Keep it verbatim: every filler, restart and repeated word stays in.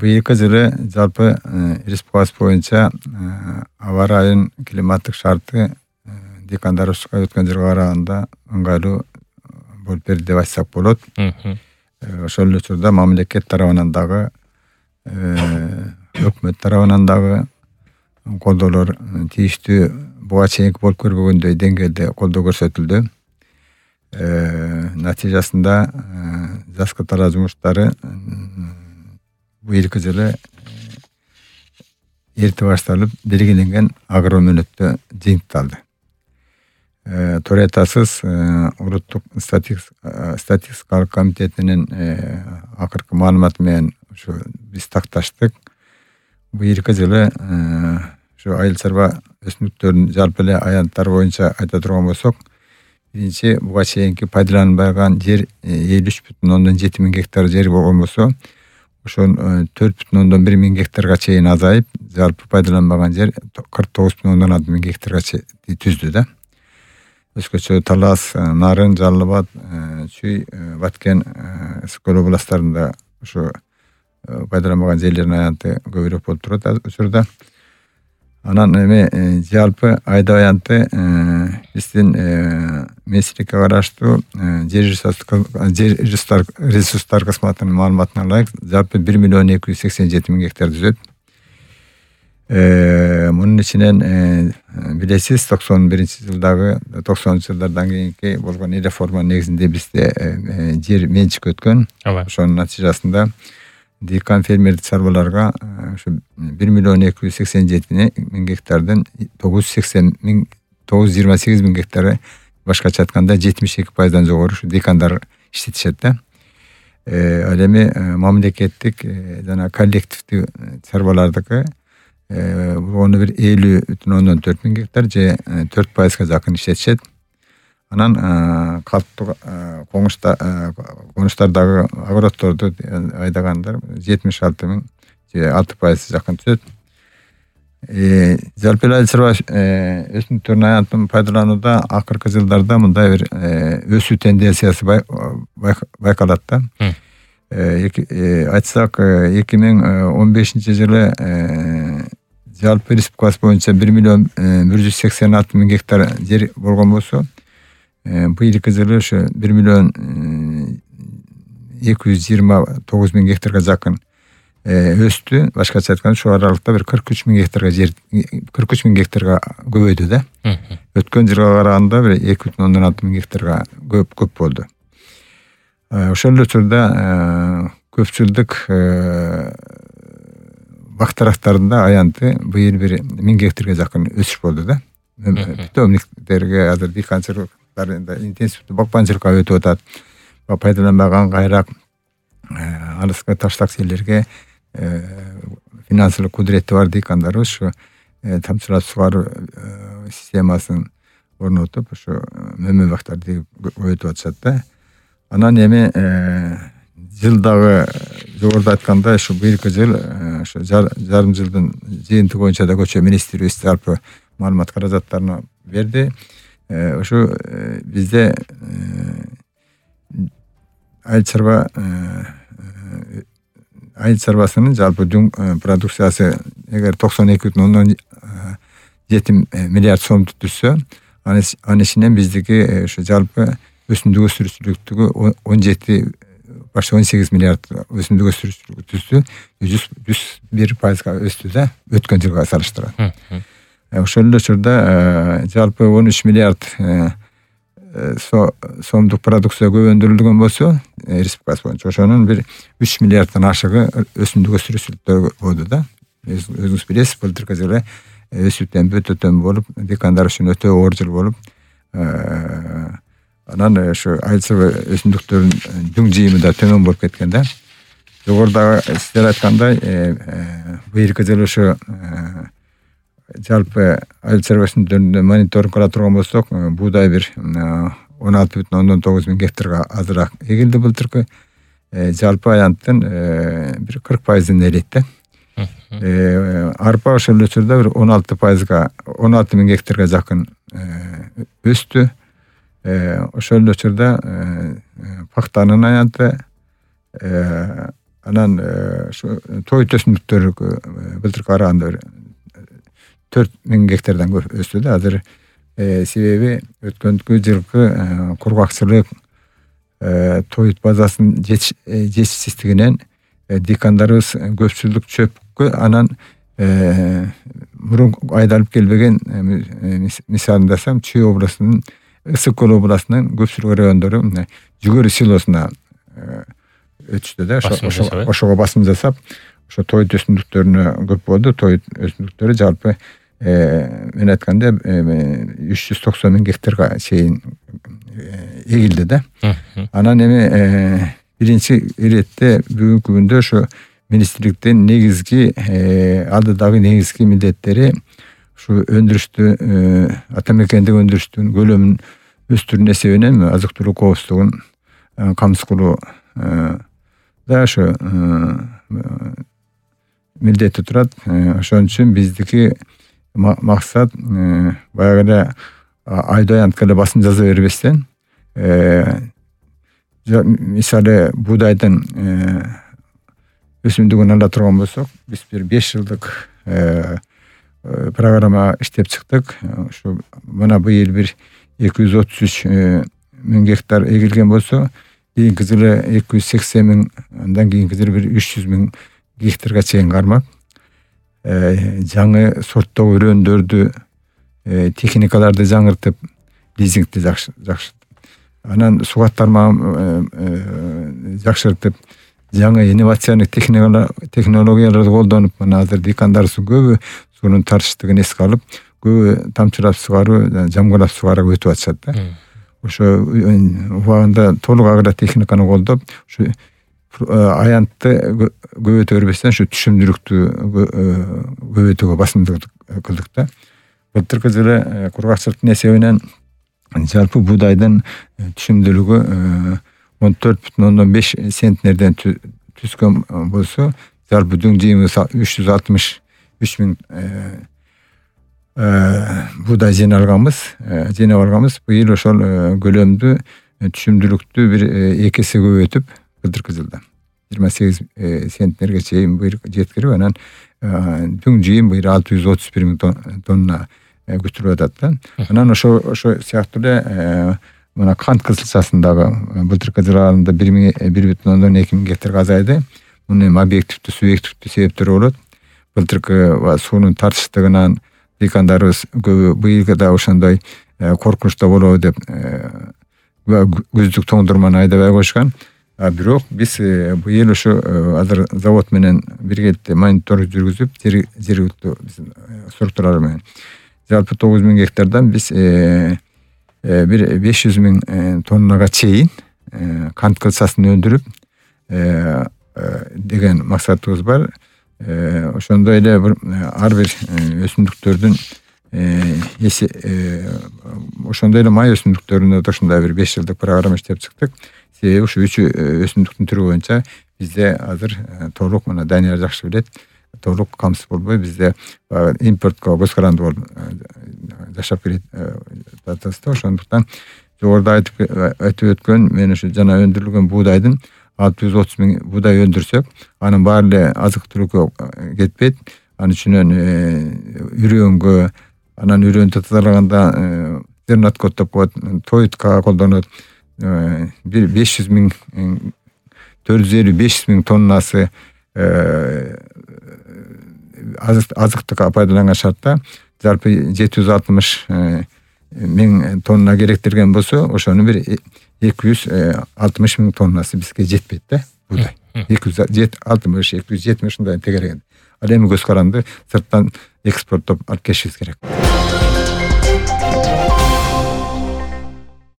быйылкы жылы жалпы республикабыз боюнча аба ырайынын климаттык шарты дыйкандарыбызга өткөн жылга караганда ыңгайлуу болуп берди деп айтсак болот. Ошол эле учурда мамлекет тарабынан дагы, өкмөт тарабынан дагы колдоолор тийиштүү буга чейинки болуп көрбөгөндөй деңгээлде колдоо көрсөтүлдү. Натыйжасында жаз катара жумуштары быйылкы жылы эрте башталып, белгиленген агромөнөттө жыйынтыкталды. Туура айтасыз, улуттук статистикалык комитетинин акыркы маалыматы менен ушу биз такташтык. Быйылкы жылы ушу айыл чарба өсүмдүктөрүнүн жалпы эле аянттары боюнча айта турган болсок, биринчи буга чейинки пайдаланбаган жер элүү үч бүтүн ондон жети миң гектар жер болгон болсо, ошол төрт бүтүн ондон бир миң гектарга чейин азайып, жалпы пайдаланбаган жер кырк тогуз бүтүн ондон алты миң гектарга түздү да. Өзгөчө Талас, Нарын, Жалал абад, Чүй, Баткен, Ысык көл областарында ушу пайдаланбаган жерлердин аянты көбүрөөк болуп турат учурда. Анан эми жалпы айда аянты биздин министрликке караштуу жер ресурстар кызматынын маалыматына ылайык жалпы бир миллион эки жүз сексен жети миң гектар түзөт. Мунун ичинен билесиз, токсон биринчи жылдагы токсонунчу жылдардан кийинки болгон реформа негизинде бизде жер менчикке өткөн. Ошонун натыйжасында дыйкан фермердик чарбаларга ушу бир миллион эки жүз сексен жети миң гектардан тогуз жүз сексен миң тогуз жүз жыйырма сегиз миң гектары, башкача айтканда жетимиш эки пайыздан жогору ушу дыйкандар иштетишет да. Ал эми мамлекеттик жана коллективдүү чарбалардыкы болгону бир элүү бүтүн ондон төрт миң гектар же төрт пайызга жакын иштетишет. Анан калктуу конуштардагы огороддорду айдагандар жетимиш алты миң же алты пайыз жакын түзөт. Жалпы эле айыл чарба өсүмдүктөрүнүн аянтын пайдаланууда акыркы жылдарда мындай бир өсүү тенденциясы байкалат да. Айтсак, эки миң он бешинчи жылы жалпы республикабыз боюнча бир миллион бир жүз сексен алты миң гектар жер болгон болсо, быйылкы жылы ошо бир миллион эки жүз жыйырма тогуз миң гектарга жакын өстү. Башкача айтканда ушул аралыкта бир кырк үч миң гектарга жер кырк үч миң гектарга көбөйдү да. Өткөн жылга караганда бир эки бүтүн ондон алты миң гектарга көп көп болду. Ошол эле учурда көпчүлдүк бак тарактарында аянты быйыл бир миң гектарга жакын өсүш болду да. Питомниктерге азыр дыйканчылыктар интенсивдүү бакманчылыкка өтүп атат. Пайдаланбаган кайрак алыска таштак жерлерге финансылык кудурети бар дыйкандарыбыз ушу тамчылап сугаруу системасын орнотуп, ушу мөмө бактарды көбөйтүп атышат да. Анан эми жылдагы жогоруда айткандай ушу быйылкы жыл ушу жарым жылдын жыйынтыгы боюнча да көчө министрибиз жалпы маалымат каражаттарын берди. Ушу бизде айыл чарба айыл чарбасынын жалпы продукциясы эгер токсон эки бүтүн ондон жети миллиард сомду түзсө, анын ичинен биздики ушу жалпы өсүмдүк өстүрүүчүлүктүгү он жети башка он сегиз миллиард өсүмдүк өстүрүүчүлүк түздү, жүз бир пайызга өстү да өткөн жылга салыштырганда. Ошол эле учурда жалпы он үч миллиард сомдук продукция көбөндүрүлгөн болсо, республикабыз боюнча ошонун бир үч миллиарддан ашыгы өсүмдүк өстүрүүчүлүктөр болду да. Өзүңүз билесиз, былтыркы жылы өсүү темпи өтө төмөн болуп, дыйкандар үчүн өтө оор жыл болуп, анан ошо айыл чарба өсүмдүктөрүнүн жүң жыйымы да төмөн болуп кеткен да. Жогоруда сиздер айткандай, быйылкы жылы ошо жалпы айыл чарба өсүмдүктөрүндө мониторинг кыла турган болсок, буудай бир он алты бүтүн ондон тогуз миң гектарга азыраак эгилди былтыркы. Жалпы аянттын бир кырк пайызын ээлейт да. Арпа ошол эле учурда бир он алты пайызга он алты миң гектарга жакын өстү. Ошол эле учурда пахтанын аянты анан ушу тоют өсүмдүктөр былтыркы караганда төрт миң гектардан көп өстү да азыр. Себеби өткөнкү жылкы кургакчылык, тоют базасынын жетишсиздигинен дыйкандарыбыз көпчүлүк чөпкө анан мурун айдалып келбеген, мисалын дасам, Чүй областынын, Ысык көл областынын көпчүлүк райондору жүгөрү силосуна өтүштү да. Ошого басым жасап, ошо тоют өсүмдүктөрүнө көп болду. Тоют өсүмдүктөрү жалпы мен айтканда үч жүз токсон миң гектарга чейин эгилди да. Анан эми биринчи иретте бүгүнкү күндө ошо министрликтин негизги алдыдагы негизги милдеттери ушу өндүрүштү, ата мекендеги өндүрүштүн көлөмүн өстүрүү эсебинен азык түлүк коопсуздугун камсыз кылуу да ошо милдети турат. Ошон үчүн биздики максат баягы эле айда аянтка эле басым жаза бербестен, мисалы буудайдын өсүмдүгүн ала турган болсок, биз бир беш жылдык программа иштеп чыктык. Ушу мына быйыл бир эки жүз отуз үч миң гектар эгилген болсо, кийинки жылы эки жүз сексен миң, андан кийинки жылы бир үч жүз миң гектарга чейин кармак. Жаңы сорттогу өрөөндөрдү, техникаларды жаңыртып, лизингди жакшыртып, анан сугат тармагын жакшыртып, жаңы инновациялык технологияларды колдонуп, мына азыр дыйкандарыбыз көбү суунун тартыштыгын эске алып, көбү тамчылап сугаруу, жамгылап сугарууга өтүп атышат да. Ошо убагында толук агротехниканы колдоп, ушу аянтты көбөйтө бербестен ушу түшүмдүүлүктү көбөйтүүгө басымдык кылдык да. Былтыркы жылы кургакчылыктын эсебинен жалпы буудайдын түшүмдүүлүгү он төрт бүтүн ондон беш центнерден түскөн болсо, жалпы дүң жыйымыбыз үч жүз алтымыш үч миң буудай жыйнап алганбыз, жыйнап алганбыз. Быйыл ошол көлөмдү, түшүмдүүлүктү бир эки эсе көбөйтүп, былтыркы жылда жыйырма сегиз центнерге чейин быйыл жеткирип, анан дүң жыйым быйыл алты жүз отуз бир миң тонна күтүлүп атат да. Анан ошо ошо сыяктуу эле мына кант кызылчасындагы былтыркы жыл аралыгында бир бүтүн ондон эки миң гектарга азайды. Мунун эми объективдүү, субъективдүү себептери болот. Былтыркы суунун тартыштыгынан дыйкандарыбыз көбү быйыл да ошондой коркунучта болобу деп күздүк тоңдурманы айдабай койушкан. Бирок биз быйыл ошо азыр завод менен биргеликте мониторинг жүргүзүп, жергиликтүү структуралар менен жалпы тогуз миң гектардан биз бир беш жүз миң тоннага чейин кант кылчасын өндүрүп деген максатыбыз бар. Ошондой эле ар бир өсүмдүктөрдүн ошондой эле май өсүмдүктөрүнө да ушундай бир беш жылдык программа иштеп чыктык. Себеби ушу үч өсүмдүктүн түрү боюнча бизде азыр толук, мына Данияр жакшы билет, толук камсыз болбой бизде импортко көз каранды болуп жашап келет атабызда. Ошондуктан жогоруда айтып өткөн, мен ушу жана өндүрүлгөн буудайдын алты жүз отуз миң буудай өндүрсөк, анын баары эле азык түлүккө кетпейт. Анын үчүнөн үрөнгө, анан үрөндү тазалаганда зерноткот деп коет, тоютка колдонот. Бир беш жүз миң, төрт жүз элүү беш жүз миң тоннасы азыктыкка пайдаланган шартта жалпы жети жүз алтымыш миң тонна керектирген болсо, ошонун бир эки жүз алтымыш миң тоннасы бизге жетпейт да, буудай. эки жүз алтымыш, эки жүз жетимиш ушундай тегереген. Ал эми көз каранды сырттан экспорттоп алып келишибиз керек.